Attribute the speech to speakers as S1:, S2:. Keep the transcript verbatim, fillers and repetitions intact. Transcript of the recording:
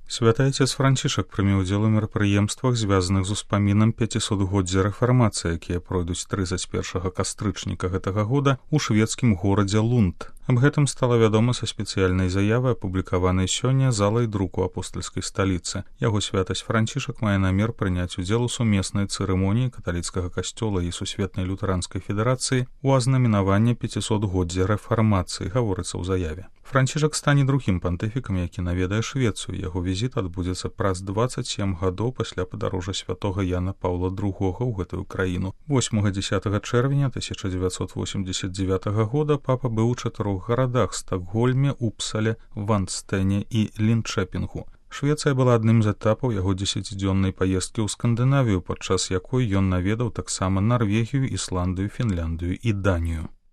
S1: Святы Отец Францішак прыме ўдзел у мерапрыемствах, звязаных з успамінам пяцісотгоддзя рэфармацыі, якія пройдуць трыццаць першага кастрычніка гэтага года ў шведскім горадзе Лунд. Аб гэтым стала вядома са спецыяльнай заявы, апублікаванай сёння залай друку апостальскай сталіцы. Яго святасць Францішак мае намер прыняць удзел у сумеснай цырымоніі каталіцкага касцёла і сусветнай лютэранскай федэрацыі ў азнаменаванні пяцісотгоддзя рэфармацыі, гаворыцца ў заяве. Францішак стане другім пантыфікам, які наведае Швецыю. Яго візіт адбудзецца праз дваццаць сем гадоў пасля падарожжа святога Яна Паўла другога ў гэтую краіну. восьмага-дзясятага чэрвеня тысяча дзевяцьсот восемьдесят девятага года папа быў у чатырох гарадах: Стакгольме, Упсале, Ванстэне і Лінчэпінгу. Швецыя была адным з этапаў яго дзесяцідзённай паездкі ў Скандынавію, падчас якой ён наведаў таксама Нарвегію, Ісландыю, Фінляндыю і Данію.